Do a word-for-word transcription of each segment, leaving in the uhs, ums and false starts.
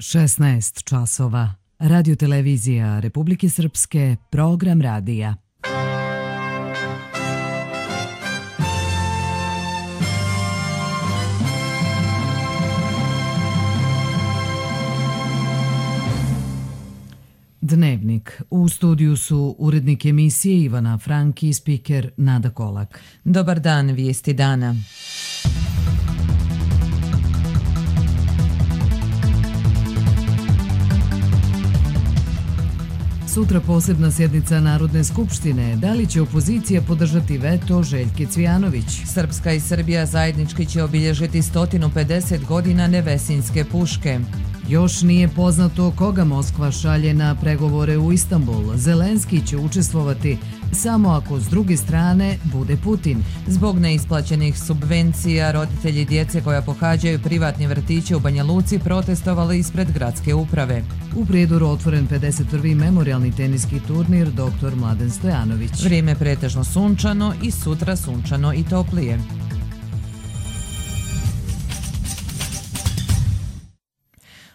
šesnaest časova. Radio televizija Republike Srpske, program radija. Dnevnik. U studiju su urednik emisije Ivana Franki i spiker Nada Kolak. Dobar dan, vijesti dana. Sutra posebna sjednica Narodne skupštine. Da li će opozicija podržati veto Željke Cvijanović? Srpska i Srbija zajednički će obilježiti sto pedeset godina Nevesinjske puške. Još nije poznato koga Moskva šalje na pregovore u Istanbul. Zelenski će učestvovati samo ako s druge strane bude Putin. Zbog neisplaćenih subvencija, roditelji djece koja pohađaju privatni vrtiće u Banja Luci protestovali ispred gradske uprave. U Prijedoru otvoren pedeset prvi memorijalni teniski turnir doktor Mladen Stojanović. Vrijeme pretežno sunčano i sutra sunčano i toplije.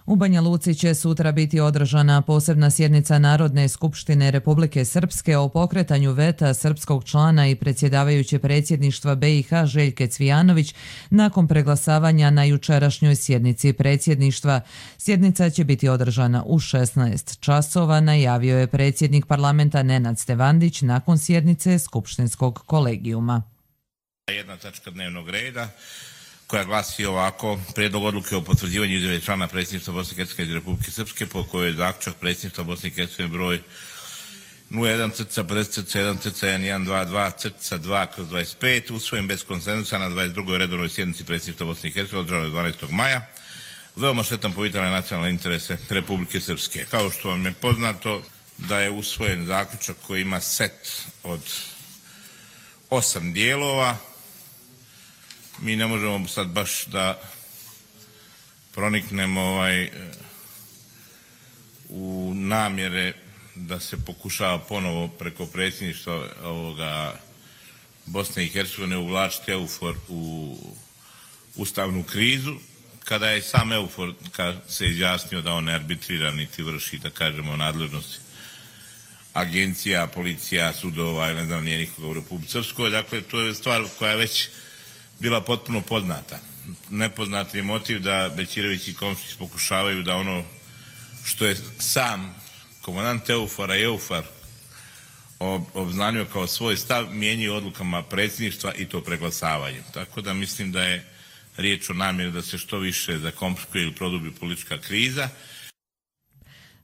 U Banja Luci će sutra biti održana posebna sjednica Narodne skupštine Republike Srpske o pokretanju veta srpskog člana i predsjedavajuće predsjedništva B i H Željke Cvijanović nakon preglasavanja na jučerašnjoj sjednici predsjedništva. Sjednica će biti održana u šesnaest časova, najavio je predsjednik parlamenta Nenad Stevandić nakon sjednice skupštinskog kolegijuma. Jedna tačka dnevnog reda koja glasi ovako: prijedlog odluke o potvrđivanju izjave člana predsjedništva Bosne i Hercegovine i Republike Srpske po kojoj je zaključak predsjedništva Bosne i Hercegovine broj nula jedan pedeset jedan jedan dva dva dva kroz dvadeset pet usvojen bez konsenzusa na dvadeset drugoj redovnoj sjednici predsjedništva Bosne i Hercegovine održanoj dvanaestog maja. Veoma štetan po vitalne nacionalne interese Republike Srpske. Kao što vam je poznato da je usvojen zaključak koji ima set od osam dijelova. Mi ne možemo sad baš da proniknemo ovaj, u namjere da se pokušava ponovo preko predsjedništva ovoga Bosne i Hercegovine uvlačiti EUFOR u ustavnu krizu, kada je sam EUFOR se izjasnio da on ne arbitrira niti vrši, da kažemo, nadležnosti agencija, policija, sudova ili ne znam nije nikoga u Republici Srpskoj. Dakle, to je stvar koja je već bila potpuno poznata. Nepoznat je motiv da Bećirović i Komšić pokušavaju da ono što je sam komandant EUFOR-a i EUFOR obznanio kao svoj stav mijenjaju odlukama predsjedništva i to preglasavanjem. Tako da mislim da je riječ o namjeri da se što više zakomplikuje ili produbi politička kriza.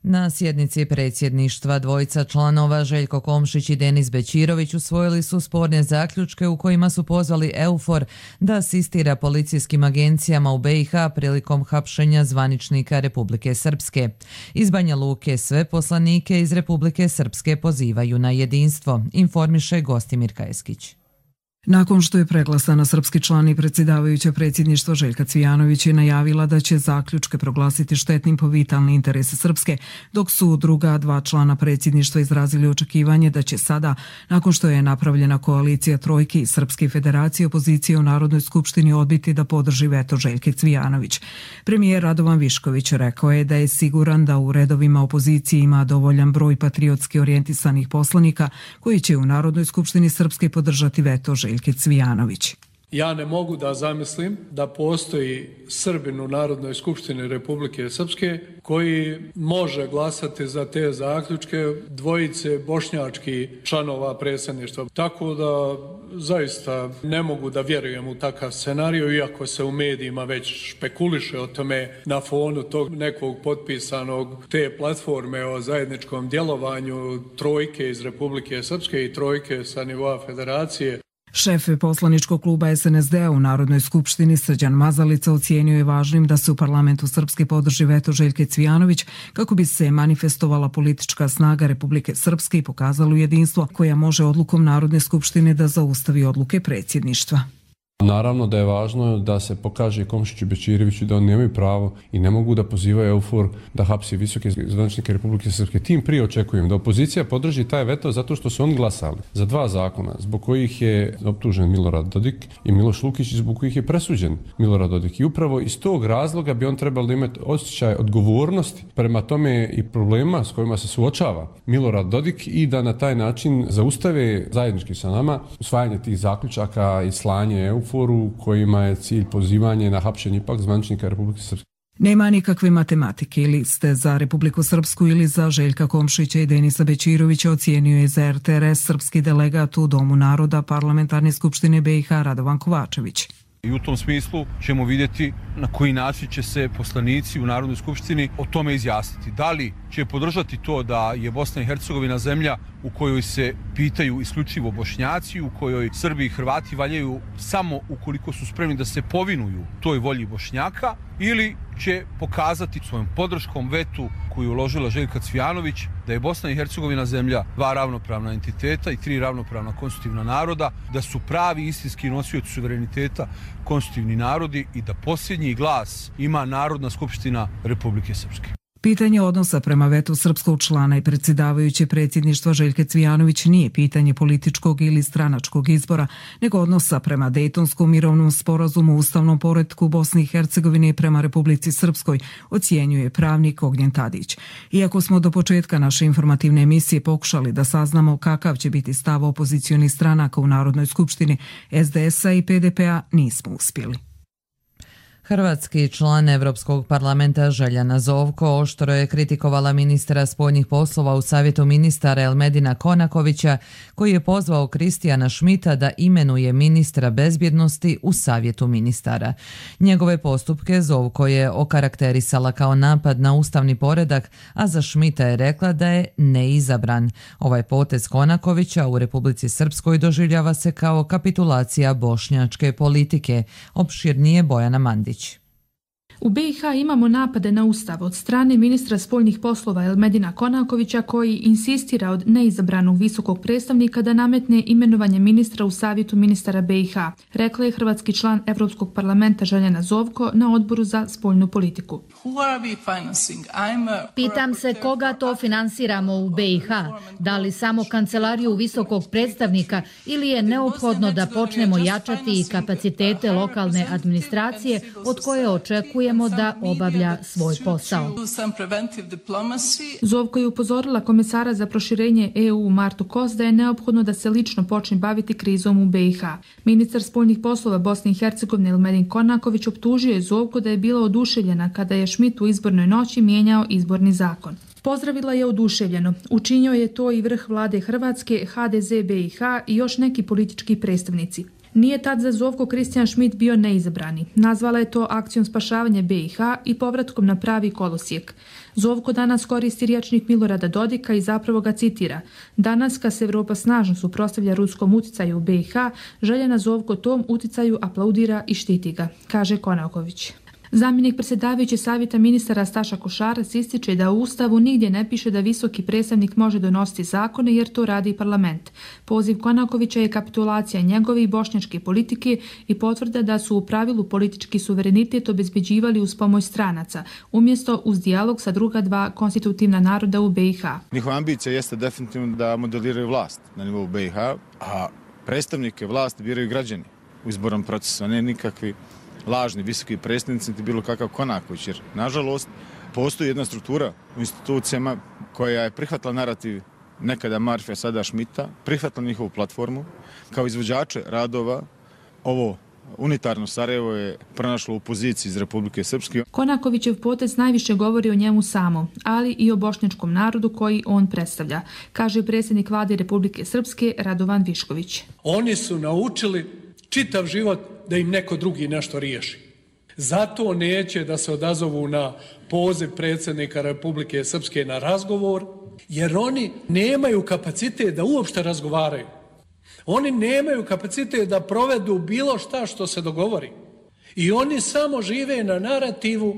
Na sjednici predsjedništva dvojica članova Željko Komšić i Denis Bećirović usvojili su sporne zaključke u kojima su pozvali EUFOR da asistira policijskim agencijama u B i H prilikom hapšenja zvaničnika Republike Srpske. Iz Banja Luke sve poslanike iz Republike Srpske pozivaju na jedinstvo, informiše Gostimir Kajeskić. Nakon što je preglasana srpski član i predsjedavajuća predsjedništva Željka Cvijanović je najavila da će zaključke proglasiti štetnim po vitalne interese Srpske, dok su druga dva člana predsjedništva izrazili očekivanje da će sada, nakon što je napravljena koalicija trojke i Srpske federacije, opozicije u Narodnoj skupštini odbiti da podrži veto Željke Cvijanović. Premijer Radovan Višković rekao je da je siguran da u redovima opozicije ima dovoljan broj patriotski orijentisanih poslanika koji će u Narodnoj skupštini Srpske podržati veto Željke Cvijanović. Ja ne mogu da zamislim da postoji Srbin u Narodnoj skupštini Republike Srpske koji može glasati za te zaključke dvojice bošnjačkih članova predsjedništva. Tako da zaista ne mogu da vjerujem u takav scenarij, iako se u medijima već špekuliše o tome na fonu tog nekog potpisanog te platforme o zajedničkom djelovanju trojke iz Republike Srpske i trojke sa nivoa federacije. Šef poslaničkog kluba S N S D-a u Narodnoj skupštini Srđan Mazalica ocijenio je važnim da se u parlamentu Srpske podrži veto Željke Cvijanović kako bi se manifestovala politička snaga Republike Srpske i pokazalo jedinstvo koja može odlukom Narodne skupštine da zaustavi odluke predsjedništva. Naravno da je važno da se pokaže Komšiću i Bećiroviću da oni nemaju pravo i ne mogu da pozivaju EUFOR da hapsi visoke zvaničnike Republike Srpske. Tim prije očekujem da opozicija podrži taj veto zato što su oni glasali za dva zakona zbog kojih je optužen Milorad Dodik i Miloš Lukić i zbog kojih je presuđen Milorad Dodik. I upravo iz tog razloga bi on trebalo da imati osjećaj odgovornosti prema tome i problema s kojima se suočava Milorad Dodik i da na taj način zaustave zajednički sa nama usvajanje tih zaključaka i slanje EUFOR-u kojima je cilj pozivanje na hapšenje ipak zvaničnika Republike Srpske. Nema nikakve matematike ili ste za Republiku Srpsku ili za Željka Komšića i Denisa Bećirovića, ocijenio je za er te er es srpski delegat u Domu naroda Parlamentarne skupštine be i ha Radovan Kovačević. I u tom smislu ćemo vidjeti na koji način će se poslanici u Narodnoj skupštini o tome izjasniti. Da li će podržati to da je Bosna i Hercegovina zemlja u kojoj se pitaju isključivo Bošnjaci, u kojoj Srbi i Hrvati valjaju samo ukoliko su spremni da se povinuju toj volji Bošnjaka, ili će pokazati svojom podrškom vetu koju je uložila Željka Cvijanović da je Bosna i Hercegovina zemlja dva ravnopravna entiteta i tri ravnopravna konstitutivna naroda, da su pravi istinski nosioci suvereniteta konstitutivni narodi i da posljednji glas ima Narodna skupština Republike Srpske. Pitanje odnosa prema vetu srpskog člana i predsjedavajuće predsjedništva Željke Cvijanović nije pitanje političkog ili stranačkog izbora, nego odnosa prema Dejtonskom mirovnom sporazumu, ustavnom poretku Bosne i Hercegovine i prema Republici Srpskoj, ocjenjuje pravnik Ognjen Tadić. Iako smo do početka naše informativne emisije pokušali da saznamo kakav će biti stav opozicionih stranaka u Narodnoj skupštini es de es a i pe de pe a, nismo uspjeli. Hrvatski član Evropskog parlamenta Željana Zovko oštro je kritikovala ministra spoljnih poslova u Savjetu ministara Elmedina Konakovića, koji je pozvao Kristijana Šmita da imenuje ministra bezbjednosti u Savjetu ministara. Njegove postupke Zovko je okarakterisala kao napad na ustavni poredak, a za Šmita je rekla da je neizabran. Ovaj potez Konakovića u Republici Srpskoj doživljava se kao kapitulacija bošnjačke politike. Opširnije Bojana Mandić. U be i ha imamo napade na ustav od strane ministra spoljnih poslova Elmedina Konakovića, koji insistira od neizabranog visokog predstavnika da nametne imenovanje ministra u Savjetu ministara be i ha, rekla je hrvatski član Evropskog parlamenta Željana Zovko na odboru za spoljnu politiku. Pitam se koga to finansiramo u be i ha, da li samo kancelariju visokog predstavnika ili je neophodno da počnemo jačati i kapacitete lokalne administracije od koje očekujemo da obavlja svoj posao. Zovko je upozorila komesara za proširenje e u Martu Kos da je neophodno da se lično počne baviti krizom u be i ha. Ministar spoljnih poslova Bosne i Hercegovine Elmedin Konaković optužio je Zovko da je bila oduševljena kada je Šmit u izbornoj noći mijenjao izborni zakon. Pozdravila je oduševljeno. Učinio je to i vrh vlade Hrvatske, ha de ze be i ha i još neki politički predstavnici. Nije tad za Zovko Kristijan Šmit bio neizabrani. Nazvala je to akcijom spašavanja be i ha i povratkom na pravi kolosijek. Zovko danas koristi rječnik Milorada Dodika i zapravo ga citira. Danas, kad se Evropa snažno suprotstavlja ruskom uticaju u be i ha, Željana Zovko tom uticaju aplaudira i štiti ga, kaže Konaković. Zamjenik predsjedavajuće savjeta ministara Staša Košarac ističe da u Ustavu nigdje ne piše da visoki predstavnik može donositi zakone jer to radi parlament. Poziv Konakovića je kapitulacija njegove i bošnjačke politike i potvrda da su u pravilu politički suverenitet obezbeđivali uz pomoć stranaca, umjesto uz dijalog sa druga dva konstitutivna naroda u be i ha. Njihova ambicija jeste definitivno da modeliraju vlast na nivou be i ha, a predstavnike vlasti biraju građani u izbornom procesu, a ne nikakvi lažni visoki predstavnici niti bilo kakav Konaković, jer nažalost postoji jedna struktura u institucijama koja je prihvatila narativ nekada Marfija, sada Šmita, prihvatila njihovu platformu. Kao izvođače radova ovo unitarno Sarajevo je pronašlo u poziciji iz Republike Srpske. Konakovićev potez najviše govori o njemu samom, ali i o bošnjačkom narodu koji on predstavlja, kaže predsjednik vlade Republike Srpske Radovan Višković. Oni su naučili čitav život da im neko drugi nešto riješi. Zato neće da se odazovu na poziv predsjednika Republike Srpske na razgovor, jer oni nemaju kapacitet da uopšte razgovaraju. Oni nemaju kapacitet da provedu bilo šta što se dogovori. I oni samo žive na narativu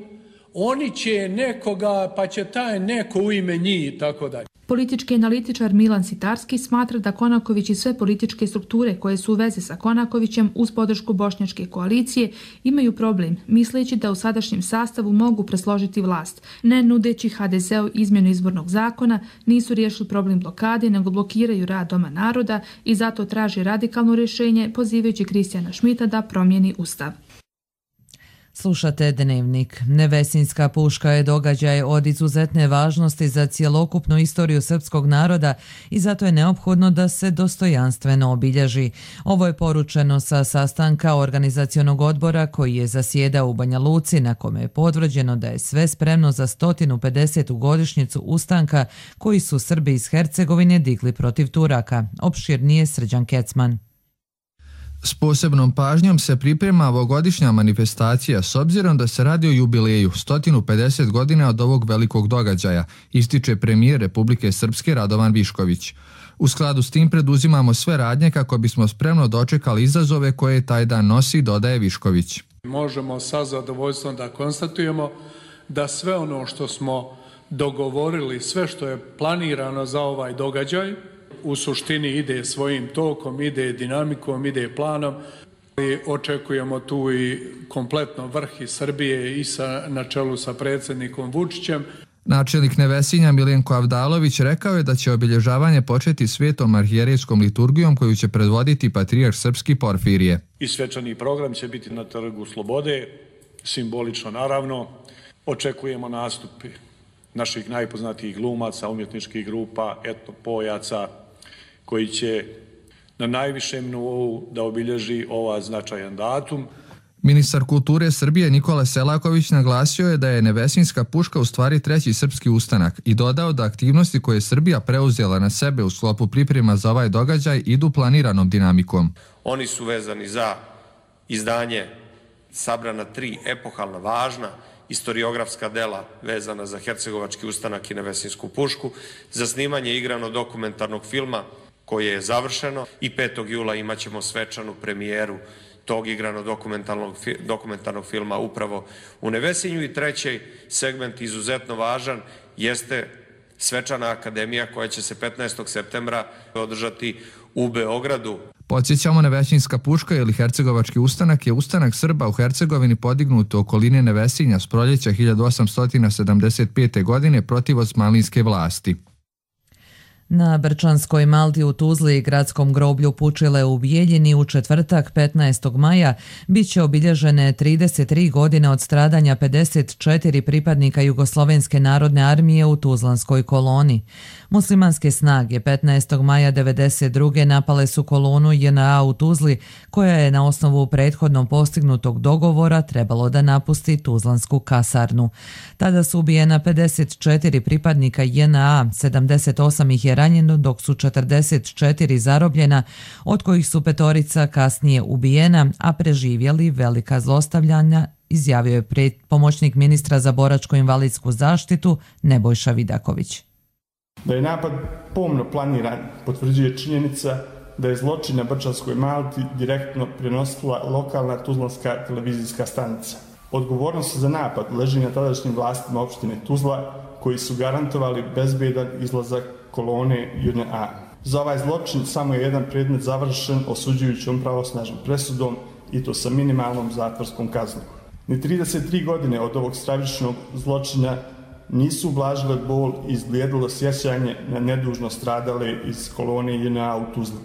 oni će nekoga, pa će taj neko u ime njih i tako dalje. Politički analitičar Milan Sitarski smatra da Konaković i sve političke strukture koje su u vezi sa Konakovićem uz podršku bošnjačke koalicije imaju problem, misleći da u sadašnjem sastavu mogu presložiti vlast. Ne nudeći ha de zeu izmjenu izbornog zakona, nisu riješili problem blokade, nego blokiraju rad Doma naroda i zato traži radikalno rješenje, pozivajući Kristijana Šmita da promijeni ustav. Slušate Dnevnik. Nevesinjska puška je događaj od izuzetne važnosti za cjelokupnu istoriju srpskog naroda i zato je neophodno da se dostojanstveno obilježi. Ovo je poručeno sa sastanka organizacionog odbora koji je zasjedao u Banja Luci, na kome je potvrđeno da je sve spremno za sto pedesetu godišnjicu ustanka koji su Srbi iz Hercegovine digli protiv Turaka. Opširnije Srđan Kecman. S posebnom pažnjom se priprema ovogodišnja manifestacija s obzirom da se radi o jubileju sto pedeset godina od ovog velikog događaja, ističe premijer Republike Srpske Radovan Višković. U skladu s tim preduzimamo sve radnje kako bismo spremno dočekali izazove koje taj dan nosi, dodaje Višković. Možemo sa zadovoljstvom da konstatujemo da sve ono što smo dogovorili, sve što je planirano za ovaj događaj, u suštini ide svojim tokom, ide dinamikom, ide planom. I očekujemo tu i kompletno vrh iz Srbije i sa, na čelu sa predsjednikom Vučićem. Načelnik Nevesinja Miljenko Avdalović rekao je da će obilježavanje početi svetom arhijerejskom liturgijom koju će predvoditi patrijarh srpski Porfirije. I svečani program će biti na Trgu Slobode, simbolično naravno. Očekujemo nastupi naših najpoznatijih glumaca, umjetničkih grupa, etnopojaca, koji će na najvišem nivou da obilježi ovaj značajan datum. Ministar kulture Srbije Nikola Selaković naglasio je da je Nevesinjska puška u stvari treći srpski ustanak i dodao da aktivnosti koje je Srbija preuzela na sebe u sklopu priprema za ovaj događaj idu planiranom dinamikom. Oni su vezani za izdanje sabrana tri epohalna važna istoriografska dela vezana za hercegovački ustanak i Nevesinjsku pušku, za snimanje igrano-dokumentarnog filma koje je završeno i petog jula imat ćemo svečanu premijeru tog igrano-dokumentarnog filma upravo u Nevesinju. I treći segment, izuzetno važan, jeste svečana akademija koja će se petnaestog septembra održati u Beogradu. Podsjećamo, Nevesinjska puška ili hercegovački ustanak je ustanak Srba u Hercegovini podignut u okolini Nevesinja s proljeća hiljadu osamsto sedamdeset pete. godine protiv osmanlijske vlasti. Na Brčanskoj Malti u Tuzli i gradskom groblju Pučile u Bijeljini u četvrtak petnaestog maja bit će obilježene trideset tri godine od stradanja pedeset četiri pripadnika Jugoslovenske narodne armije u Tuzlanskoj koloni. Muslimanske snage petnaestog maja devedeset druge napale su kolonu je en a u Tuzli, koja je na osnovu prethodno postignutog dogovora trebalo da napusti Tuzlansku kasarnu. Tada su ubijena pedeset četiri pripadnika je en a, sedamdeset osam ih je ranjeno, dok su četrdeset četiri zarobljena, od kojih su petorica kasnije ubijena, a preživjeli velika zlostavljanja, izjavio je pomoćnik ministra za boračko-invalidsku zaštitu Nebojša Vidaković. Da je napad pomno planiran potvrđuje činjenica da je zločin na Brčanskoj Malti direktno prenosila lokalna tuzlanska televizijska stanica. Odgovornost za napad leži na tadašnjim vlastima opštine Tuzla, koji su garantovali bezbedan izlazak kolone je en a. Za ovaj zločin samo je jedan predmet završen osuđujućom pravosnažnom presudom i to sa minimalnom zatvorskom kaznom. Ni trideset tri godine od ovog stravičnog zločina nisu ublažile bol i izblijedilo sjećanje na nedužno stradale iz kolone je en a u Tuzli.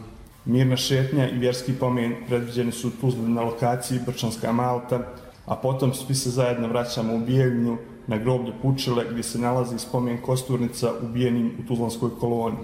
Mirna šetnja i vjerski pomen predviđeni su u Tuzli na lokaciji Brčanska Malta, a potom svi se zajedno vraćamo u Bijeljinu na groblje Pučile gdje se nalazi spomen kosturnica ubijenim u Tuzlanskoj koloni.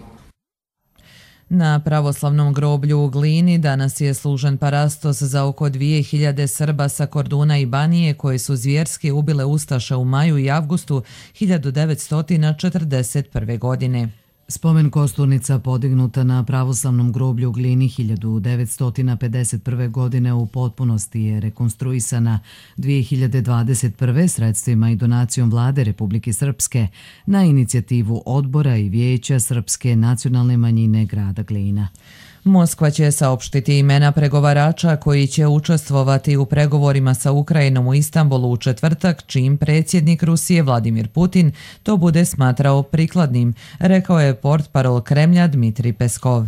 Na pravoslavnom groblju u Glini danas je služen parastos za oko dvije hiljade Srba sa Korduna i Banije koje su zvjerski ubile ustaše u maju i avgustu hiljadu devetsto četrdeset prve. godine. Spomen kosturnica podignuta na pravoslavnom groblju u Glini hiljadu devetsto pedeset prve. godine u potpunosti je rekonstruisana dvije hiljade dvadeset prve. sredstvima i donacijom Vlade Republike Srpske na inicijativu Odbora i Vijeća Srpske nacionalne manjine grada Glina. Moskva će saopštiti imena pregovarača koji će učestvovati u pregovorima sa Ukrajinom u Istanbulu u četvrtak, čim predsjednik Rusije Vladimir Putin to bude smatrao prikladnim, rekao je portparol Kremlja Dmitrij Peskov.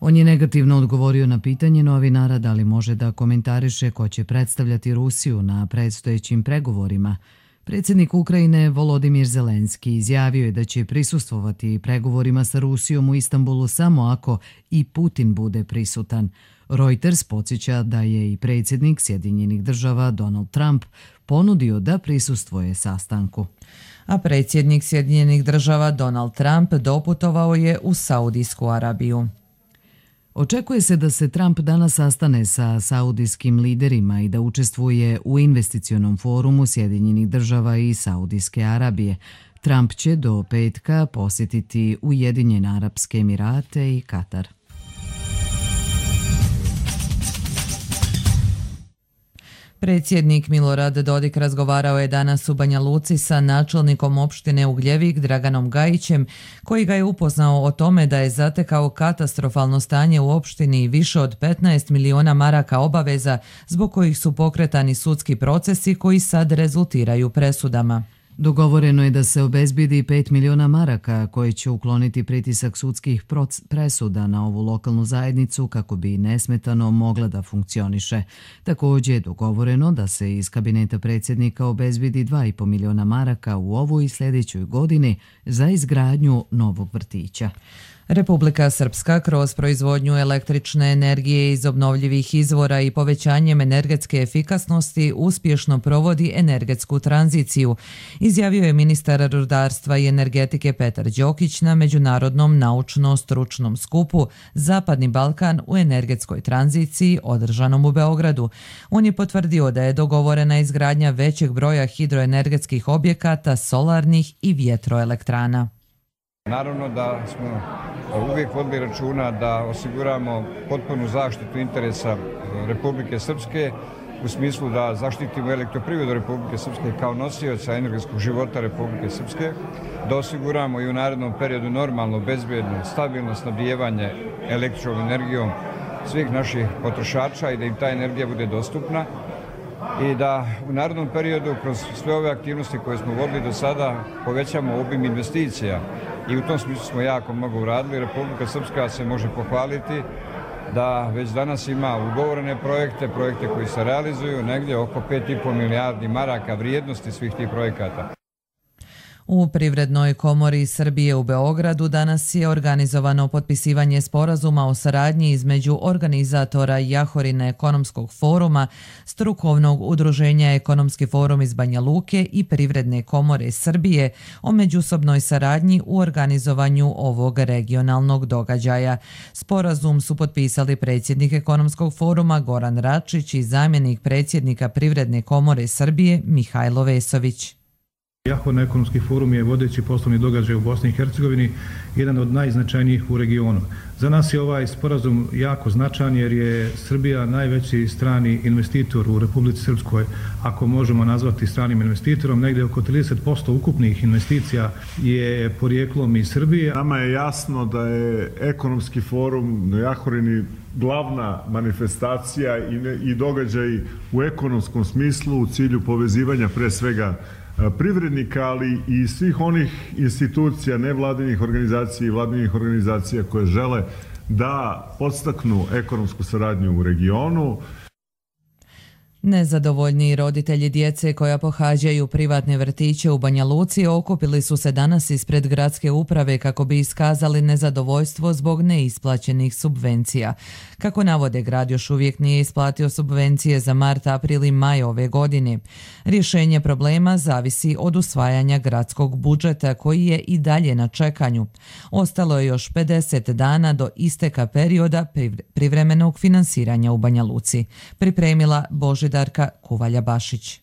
On je negativno odgovorio na pitanje novinara da li može da komentariše ko će predstavljati Rusiju na predstojećim pregovorima. Predsjednik Ukrajine Volodimir Zelenski izjavio je da će prisustvovati pregovorima sa Rusijom u Istanbulu samo ako i Putin bude prisutan. Reuters podsjeća da je i predsjednik Sjedinjenih država Donald Trump ponudio da prisustvuje sastanku. A predsjednik Sjedinjenih država Donald Trump doputovao je u Saudijsku Arabiju. Očekuje se da se Trump danas sastane sa saudijskim liderima i da učestvuje u investicionom forumu Sjedinjenih država i Saudijske Arabije. Trump će do petka posjetiti Ujedinjene Arapske Emirate i Katar. Predsjednik Milorad Dodik razgovarao je danas u Banja Luci sa načelnikom opštine Ugljevik Draganom Gajićem, koji ga je upoznao o tome da je zatekao katastrofalno stanje u opštini i više od petnaest miliona maraka obaveza zbog kojih su pokretani sudski procesi koji sad rezultiraju presudama. Dogovoreno je da se obezbedi pet miliona maraka koje će ukloniti pritisak sudskih presuda na ovu lokalnu zajednicu kako bi nesmetano mogla da funkcioniše. Također je dogovoreno da se iz kabineta predsjednika obezbedi dva i po miliona maraka u ovoj i sljedećoj godini za izgradnju novog vrtića. Republika Srpska kroz proizvodnju električne energije iz obnovljivih izvora i povećanjem energetske efikasnosti uspješno provodi energetsku tranziciju, izjavio je ministar rudarstva i energetike Petar Đokić na Međunarodnom naučno-stručnom skupu Zapadni Balkan u energetskoj tranziciji održanom u Beogradu. On je potvrdio da je dogovorena izgradnja većeg broja hidroenergetskih objekata, solarnih i vjetroelektrana. Naravno da smo uvijek vodili računa da osiguramo potpunu zaštitu interesa Republike Srpske u smislu da zaštitimo elektroprivredu Republike Srpske kao nosioca energetskog života Republike Srpske, da osiguramo i u narednom periodu normalno, bezbjedno, stabilno snabdijevanje električnom energijom svih naših potrošača i da im ta energija bude dostupna i da u narednom periodu kroz sve ove aktivnosti koje smo vodili do sada povećamo obim investicija i u tom smislu smo jako mnogo uradili. Republika Srpska se može pohvaliti da već danas ima ugovorene projekte, projekte koji se realizuju, negdje oko pet i po milijardi maraka vrijednosti svih tih projekata. U Privrednoj komori Srbije u Beogradu danas je organizovano potpisivanje sporazuma o saradnji između organizatora Jahorine ekonomskog foruma, strukovnog udruženja Ekonomski forum iz Banja Luke i Privredne komore Srbije o međusobnoj saradnji u organizovanju ovog regionalnog događaja. Sporazum su potpisali predsjednik Ekonomskog foruma Goran Račić i zamjenik predsjednika Privredne komore Srbije Mihajlo Vesović. Jahorina ekonomski forum je vodeći poslovni događaj u Bosni i Hercegovini, jedan od najznačajnijih u regionu. Za nas je ovaj sporazum jako značajan jer je Srbija najveći strani investitor u Republici Srpskoj, ako možemo nazvati stranim investitorom. Negdje oko trideset posto ukupnih investicija je porijeklom iz Srbije. Nama je jasno da je ekonomski forum na Jahorini glavna manifestacija i, ne, i događaj u ekonomskom smislu u cilju povezivanja pre svega privrednika, ali i svih onih institucija, nevladinih organizacija i vladinih organizacija koje žele da podstaknu ekonomsku saradnju u regionu. Nezadovoljni roditelji djece koja pohađaju privatne vrtiće u Banja Luci okupili su se danas ispred gradske uprave kako bi iskazali nezadovoljstvo zbog neisplaćenih subvencija. Kako navode, grad još uvijek nije isplatio subvencije za mart, april i maj ove godine. Rješenje problema zavisi od usvajanja gradskog budžeta koji je i dalje na čekanju. Ostalo je još pedeset dana do isteka perioda privremenog finansiranja u Banja Luci. Pripremila Božidar Darka Kuvalja-Bašić.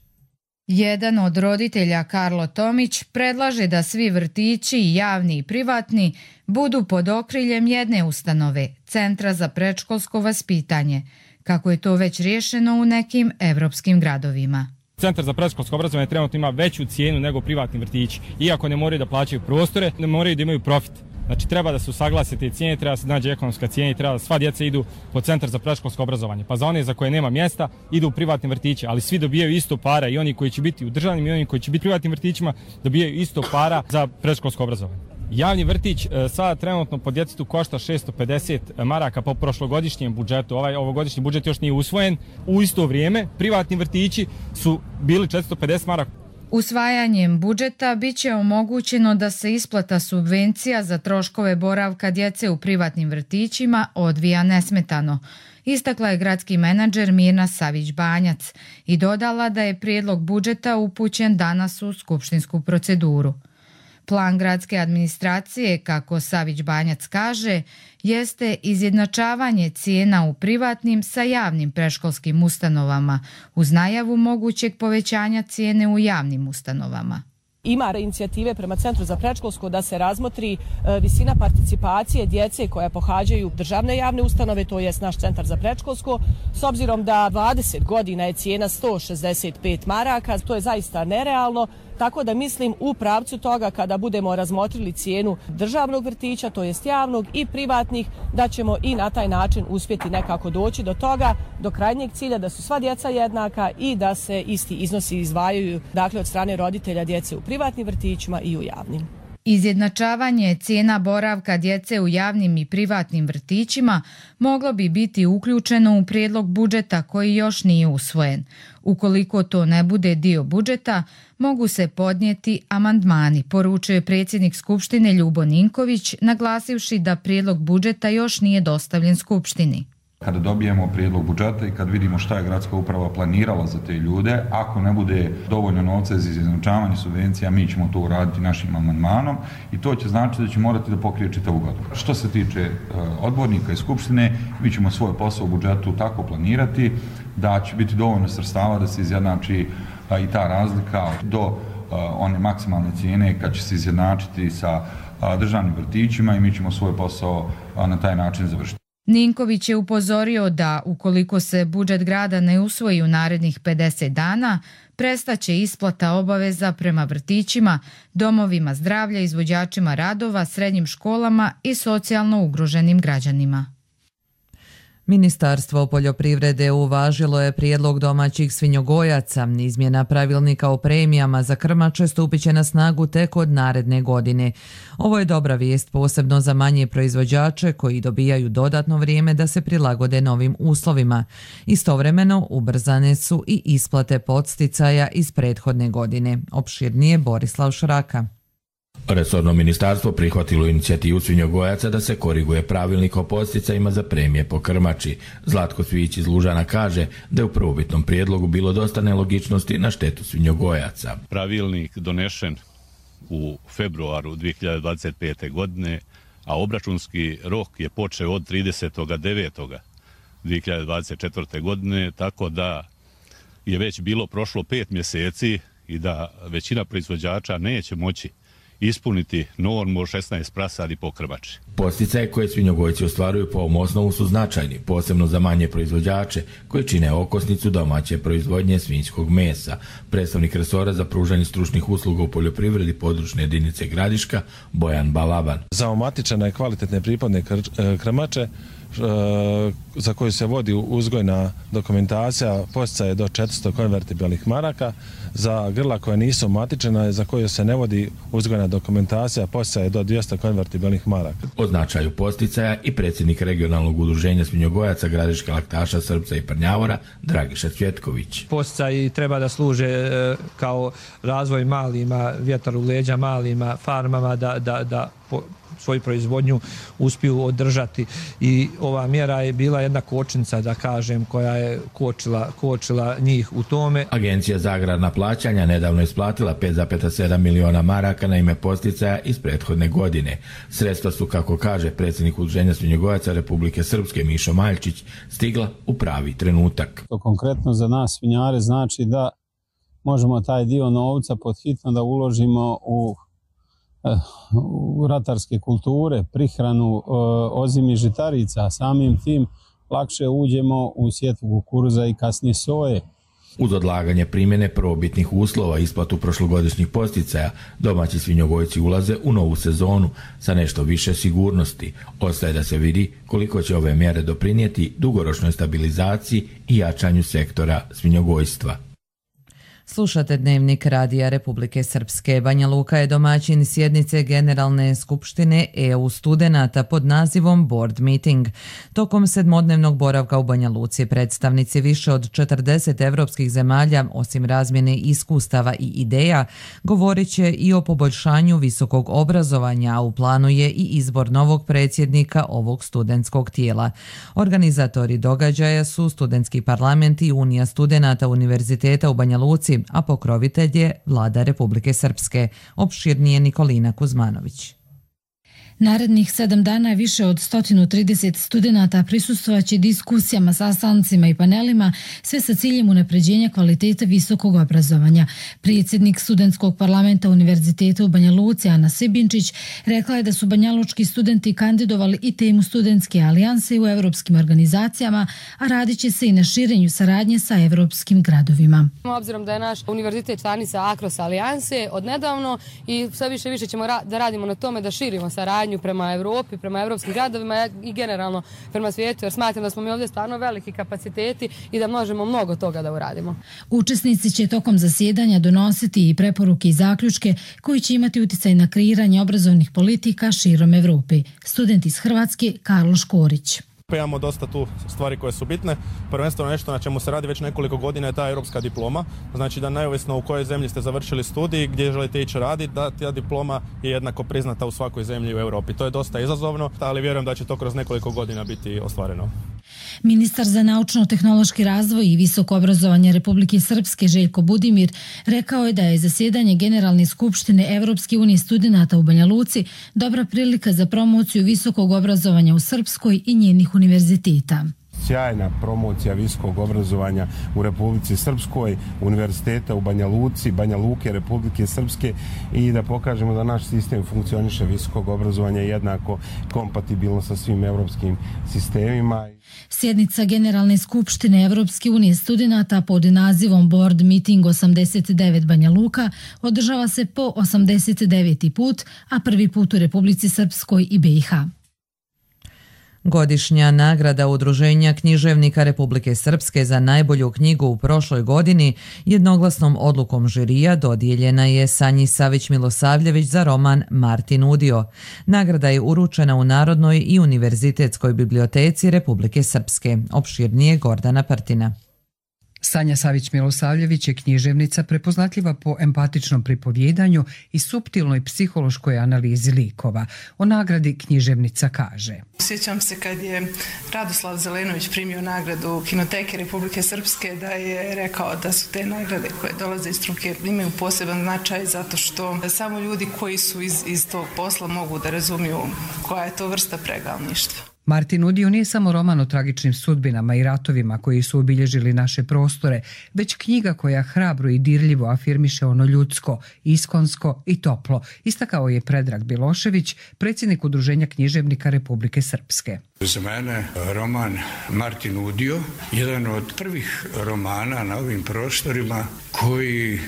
Jedan od roditelja, Karlo Tomić, predlaže da svi vrtići, javni i privatni, budu pod okriljem jedne ustanove, Centra za predškolsko vaspitanje, kako je to već riješeno u nekim evropskim gradovima. Centar za predškolsko obrazovanje trenutno ima veću cijenu nego privatni vrtići. Iako ne moraju da plaćaju prostore, ne moraju da imaju profit. Znači treba da se usaglase te cijene, treba da se nađe ekonomska cijena i treba da sva djeca idu po centar za predškolsko obrazovanje. Pa za one za koje nema mjesta idu u privatne vrtiće, ali svi dobijaju isto para, i oni koji će biti u državnim i oni koji će biti u privatnim vrtićima dobijaju isto para za predškolsko obrazovanje. Javni vrtić sada trenutno po djetetu košta šesto pedeset maraka po prošlogodišnjem budžetu. Ovaj ovogodišnji budžet još nije usvojen. U isto vrijeme privatni vrtići su bili četiristo pedeset maraka. Usvajanjem budžeta biće omogućeno da se isplata subvencija za troškove boravka djece u privatnim vrtićima odvija nesmetano. Istakla je gradski menadžer Mirna Savić-Banjac i dodala da je prijedlog budžeta upućen danas u skupštinsku proceduru. Plan gradske administracije, kako Savić-Banjac kaže, jeste izjednačavanje cijena u privatnim sa javnim predškolskim ustanovama, uz najavu mogućeg povećanja cijene u javnim ustanovama. Ima inicijative prema Centru za predškolsko da se razmotri visina participacije djece koja pohađaju državne javne ustanove, to jest naš Centar za predškolsko, s obzirom da dvadeset godina je cijena sto šezdeset pet maraka, to je zaista nerealno. Tako da mislim u pravcu toga kada budemo razmotrili cijenu državnog vrtića, to jest javnog i privatnih, da ćemo i na taj način uspjeti nekako doći do toga, do krajnjeg cilja da su sva djeca jednaka i da se isti iznosi izdvajaju, dakle od strane roditelja djece u privatnim vrtićima i u javnim. Izjednačavanje cijena boravka djece u javnim i privatnim vrtićima moglo bi biti uključeno u prijedlog budžeta koji još nije usvojen. Ukoliko to ne bude dio budžeta, mogu se podnijeti amandmani, poručuje predsjednik Skupštine Ljubo Ninković, naglasivši da prijedlog budžeta još nije dostavljen Skupštini. Kada dobijemo prijedlog budžeta i kad vidimo šta je gradska uprava planirala za te ljude, ako ne bude dovoljno novca za izjednačavanje subvencija, mi ćemo to uraditi našim amandmanom i to će značiti da će morati da pokrije čitavu godinu. Što se tiče odbornika i Skupštine, mi ćemo svoj posao u budžetu tako planirati da će biti dovoljno sredstava da se izjednači i ta razlika do one maksimalne cijene kad će se izjednačiti sa državnim vrtićima i mi ćemo svoj posao na taj način završiti. Ninković je upozorio da ukoliko se budžet grada ne usvoji u narednih pedeset dana, prestaće isplata obaveza prema vrtićima, domovima zdravlja, izvođačima radova, srednjim školama i socijalno ugroženim građanima. Ministarstvo poljoprivrede uvažilo je prijedlog domaćih svinjogojaca. Izmjena pravilnika o premijama za krmače stupit će na snagu tek od naredne godine. Ovo je dobra vijest posebno za manje proizvođače koji dobijaju dodatno vrijeme da se prilagode novim uslovima. Istovremeno ubrzane su i isplate podsticaja iz prethodne godine. Opširnije Borislav Šraka. Resorno ministarstvo prihvatilo inicijativu svinjogojaca da se koriguje pravilnik o podsticajima za premije po krmači. Zlatko Cvijić iz Lužana kaže da je u prvobitnom prijedlogu bilo dosta nelogičnosti na štetu svinjogojaca. Pravilnik donešen u februaru dvije hiljade dvadeset pete. godine, a obračunski rok je počeo od tridesetog devetog dvije hiljade dvadeset četvrte. godine, tako da je već bilo prošlo pet mjeseci i da većina proizvođača neće moći ispuniti normu šesnaest prasadi po krmači. Podsticaje koje svinjogojci ostvaruju po ovom osnovu su značajni, posebno za manje proizvođače koji čine okosnicu domaće proizvodnje svinjskog mesa. Predstavnik resora za pružanje stručnih usluga u poljoprivredi područne jedinice Gradiška Bojan Balaban. Za omatičene kvalitetne pripadne krmače za koju se vodi uzgojna dokumentacija podsticaje do četiristo konvertibilnih maraka, za grla koja nisu omatičena za koju se ne vodi uzgojna dokumentacija podsticaje do dvjesto konvertibilnih maraka. O značaju podsticaja i predsjednik regionalnog udruženja svinjogojaca Gradiška laktaša Srpca i Prnjavora Dragiša Cvjetković. Podsticaji treba da služe kao razvoj malima, vjetar u leđa malima farmama da, da, da po, svoju proizvodnju uspiju održati i ova mjera je bila jedna kočnica, da kažem, koja je kočila, kočila njih u tome. Agencija za agrarna plaćanja nedavno je isplatila pet zarez sedam miliona maraka na ime podsticaja iz prethodne godine. Sredstva su, kako kaže predsjednik udruženja svinjogojaca Republike Srpske Mišo Maljčić, stigla u pravi trenutak. To konkretno za nas svinjare znači da možemo taj dio novca podhitno da uložimo u u ratarske kulture, prihranu ozimi žitarica, samim tim lakše uđemo u sjetvu kukuruza i kasnije soje. Uz odlaganje primjene prvobitnih uslova isplatu prošlogodišnjih posticaja, domaći svinjogojci ulaze u novu sezonu sa nešto više sigurnosti. Ostaje da se vidi koliko će ove mjere doprinijeti dugoročnoj stabilizaciji i jačanju sektora svinjogojstva. Slušate Dnevnik Radija Republike Srpske. Banja Luka je domaćin sjednice Generalne skupštine E U studenata pod nazivom Board Meeting. Tokom sedmodnevnog boravka u Banja Luci predstavnici više od četrdeset evropskih zemalja, osim razmjene iskustava i ideja, govorit će i o poboljšanju visokog obrazovanja, a u planu je i izbor novog predsjednika ovog studentskog tijela. Organizatori događaja su Studentski parlament i Unija studenata Univerziteta u Banja Luci, a pokrovitelj je Vlada Republike Srpske. Opširnije Nikolina Kuzmanović. Narednih sedam dana više od sto trideset studenata prisustvovaće diskusijama, sastancima i panelima, sve sa ciljem unapređenja kvalitete visokog obrazovanja. Predsjednik Studentskog parlamenta Univerziteta u Banja Luci, Ana Sibinčić, rekla je da su banjalučki studenti kandidovali i temu studentske alijanse u evropskim organizacijama, a radit će se i na širenju saradnje sa evropskim gradovima. Obzirom da je naš univerzitet članica Akros alijanse odnedavno i sve više više ćemo ra- da radimo na tome da širimo saradnju prema Evropi, prema evropskim gradovima i generalno prema svijetu, jer smatram da smo mi ovdje stvarno veliki kapaciteti i da možemo mnogo toga da uradimo. Učesnici će tokom zasjedanja donositi i preporuke i zaključke koji će imati utjecaj na kreiranje obrazovnih politika širom Evrope. Student iz Hrvatske Karlo Škorić. Imamo dosta tu stvari koje su bitne. Prvenstveno nešto na čemu se radi već nekoliko godina je ta europska diploma. Znači da neovisno u kojoj zemlji ste završili studij, gdje želite ići raditi, da ta diploma je jednako priznata u svakoj zemlji u Europi. To je dosta izazovno, ali vjerujem da će to kroz nekoliko godina biti ostvareno. Ministar za naučno-tehnološki razvoj i visoko obrazovanje Republike Srpske Željko Budimir rekao je da je zasjedanje Generalne skupštine Evropske unije studenata u Banja Luci dobra prilika za promociju visokog obrazovanja u Srpskoj i njenih univerziteta. Sjajna promocija visokog obrazovanja u Republici Srpskoj, univerziteta u Banja Luci, Banja Luke, Republike Srpske i da pokažemo da naš sistem funkcioniše visokog obrazovanja jednako kompatibilno sa svim evropskim sistemima. Sjednica Generalne skupštine Evropske unije studenata pod nazivom Board Meeting osamdeset devet Banja Luka održava se po osamdeset deveti put, a prvi put u Republici Srpskoj i B i H. Godišnja nagrada Udruženja književnika Republike Srpske za najbolju knjigu u prošloj godini jednoglasnom odlukom žirija dodijeljena je Sanji Savić-Milosavljević za roman Martin Udio. Nagrada je uručena u Narodnoj i Univerzitetskoj biblioteci Republike Srpske. Opširnije Gordana Partina. Sanja Savić-Milosavljević je književnica prepoznatljiva po empatičnom pripovjedanju i suptilnoj psihološkoj analizi likova. O nagradi književnica kaže: Sjećam se kad je Radoslav Zelenović primio nagradu Kinoteke Republike Srpske, da je rekao da su te nagrade koje dolaze iz struke imaju poseban značaj zato što samo ljudi koji su iz, iz tog posla mogu da razumiju koja je to vrsta pregalništva. Martin Udio nije samo roman o tragičnim sudbinama i ratovima koji su obilježili naše prostore, već knjiga koja hrabro i dirljivo afirmiše ono ljudsko, iskonsko i toplo, istakao je Predrag Bilošević, predsjednik Udruženja književnika Republike Srpske. Za mene roman Martin Udio, jedan od prvih romana na ovim prostorima koji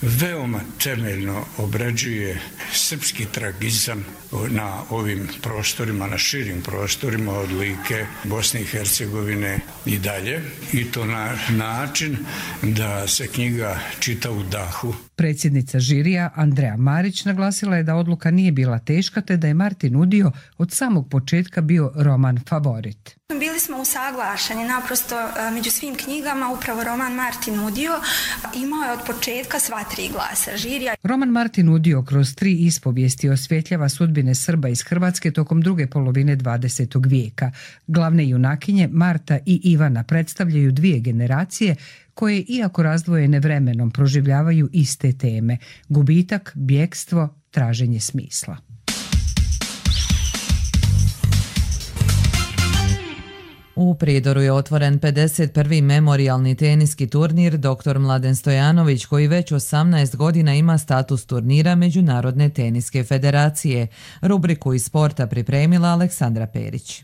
veoma temeljno obrađuje srpski tragizam na ovim prostorima, na širim prostorima od Like, Bosne i Hercegovine i dalje. I to na način da se knjiga čita u dahu. Predsjednica žirija Andreja Marić naglasila je da odluka nije bila teška te da je Martin Udio od samog početka bio roman favorit. Bili smo usaglašeni naprosto među svim knjigama, upravo roman Martin Udio imao je od početka sva tri glasa žirija. Roman Martin Udio kroz tri ispovijesti osvjetljava sudbine Srba iz Hrvatske tokom druge polovine dvadesetog vijeka. Glavne junakinje Marta i Ivana predstavljaju dvije generacije koje, iako razdvojene vremenom, proživljavaju iste teme: gubitak, bjekstvo, traženje smisla. U Prijedoru je otvoren pedeset prvi memorijalni teniski turnir doktor Mladen Stojanović, koji već osamnaest godina ima status turnira Međunarodne teniske federacije. Rubriku iz sporta pripremila Aleksandra Perić.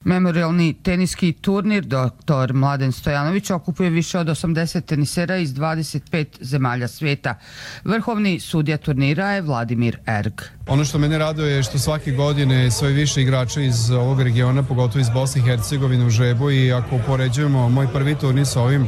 Memorialni teniski turnir doktor Mladen Stojanović okupuje više od osamdeset tenisera iz dvadeset pet zemalja svijeta. Vrhovni sudija turnira je Vladimir Erg. Ono što mene raduje je što svake godine sve više igrača iz ovog regiona, pogotovo iz Bosne i Hercegovine u žrebu, i ako poređujemo moj prvi turnir sa ovim,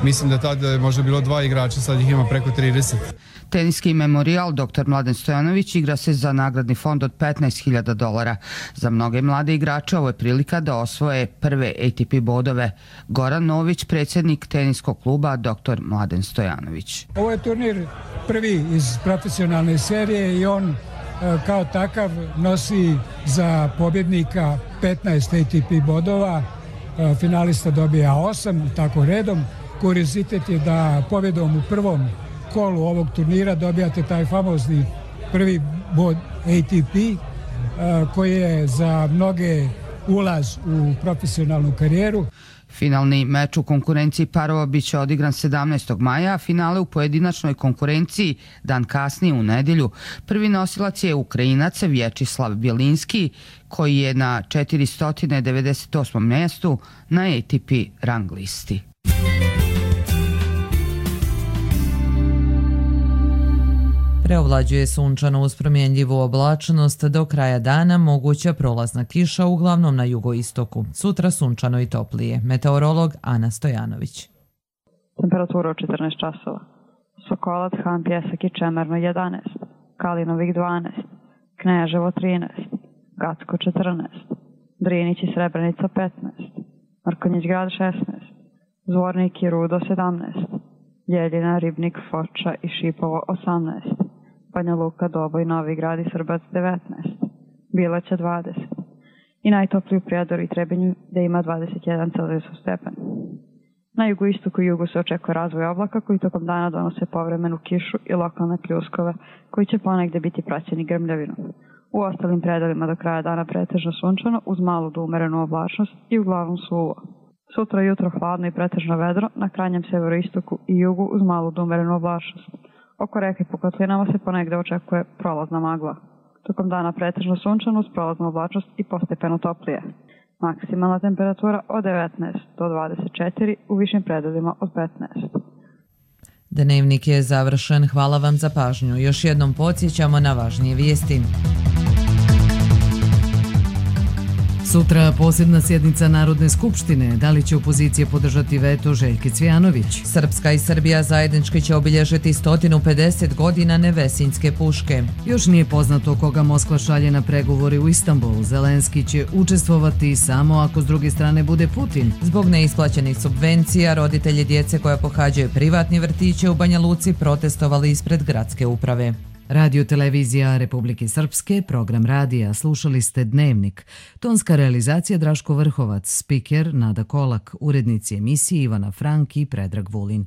mislim da tada je možda bilo dva igrača, sad ih ima preko trideset. Teniski memorijal doktor Mladen Stojanović igra se za nagradni fond od petnaest hiljada dolara. Za mnoge mlade igrače ovo je prilika da osvoje prve A T P bodove. Goran Nović, predsjednik teniskog kluba doktor Mladen Stojanović. Ovo je turnir prvi iz profesionalne serije i on kao takav nosi za pobjednika petnaest A T P bodova, finalista dobija osam, tako redom. Kuriozitet je da pobjedom u prvom kolu ovog turnira dobijate taj famozni prvi bod A T P koji je za mnoge ulaz u profesionalnu karijeru. Finalni meč u konkurenciji parova biće odigran sedamnaestog maja, a finale u pojedinačnoj konkurenciji dan kasnije u nedjelju. Prvi nosilac je Ukrajinac Vječislav Bjelinski koji je na četiristo devedeset osmom mjestu na A T P rang listi. Preovlađuje sunčano uz promjenljivu oblačnost, do kraja dana moguća prolazna kiša uglavnom na jugoistoku. Sutra sunčano i toplije. Meteorolog Ana Stojanović. Temperatura od četrnaest časova. Sokolac, Han, Pjesak i Čemerno jedanaest, Kalinovik dvanaest, Kneževo trinaest, Gacko četrnaest, Drinić i Srebrenica petnaest, Mrkonjić grad šesnaest, Zvornik i Rudo sedamnaest, Ljeljina, Ribnik, Foča i Šipovo osamnaest, Banja Luka, Doboj, Novi Grad i Srbac devetnaest, Bileća dvadeset i najtopliji u Prijedoru i Trebinju gdje ima dvadeset jedan Celzijusov stepen. Na jugoistoku i jugu se očekuje razvoj oblaka koji tokom dana donose povremenu kišu i lokalne pljuskove koji će ponegdje biti praćeni grmljavinom. U ostalim predelima do kraja dana pretežno sunčano uz malu do umerenu oblačnost i uglavnom suvo. Sutra jutro hladno i pretežno vedro, na krajnjem severoistoku i jugu uz malu do umerenu oblačnost. Oko reke po kotlinama se ponegdje očekuje prolazna magla. Tokom dana pretežno sunčano uz prolaznu oblačnost i postepeno toplije. Maksimalna temperatura od devetnaest do dvadeset četiri, u višim predelima od petnaest. Dnevnik je završen. Hvala vam za pažnju. Još jednom podsjećamo na važnije vijesti. Sutra posebna sjednica Narodne skupštine. Da li će opozicija podržati veto Željke Cvijanović? Srpska i Srbija zajednički će obilježiti sto pedeset godina Nevesinjske puške. Još nije poznato koga Moskva šalje na pregovore u Istanbul. Zelenski će učestvovati samo ako s druge strane bude Putin. Zbog neisplaćenih subvencija, roditelji djece koja pohađaju privatni vrtiće u Banja Luci protestovali ispred gradske uprave. Radio televizija Republike Srpske, program radija, slušali ste Dnevnik. Tonska realizacija Draško Vrhovac, spiker Nada Kolak, urednici emisije Ivana Frank i Predrag Vulin.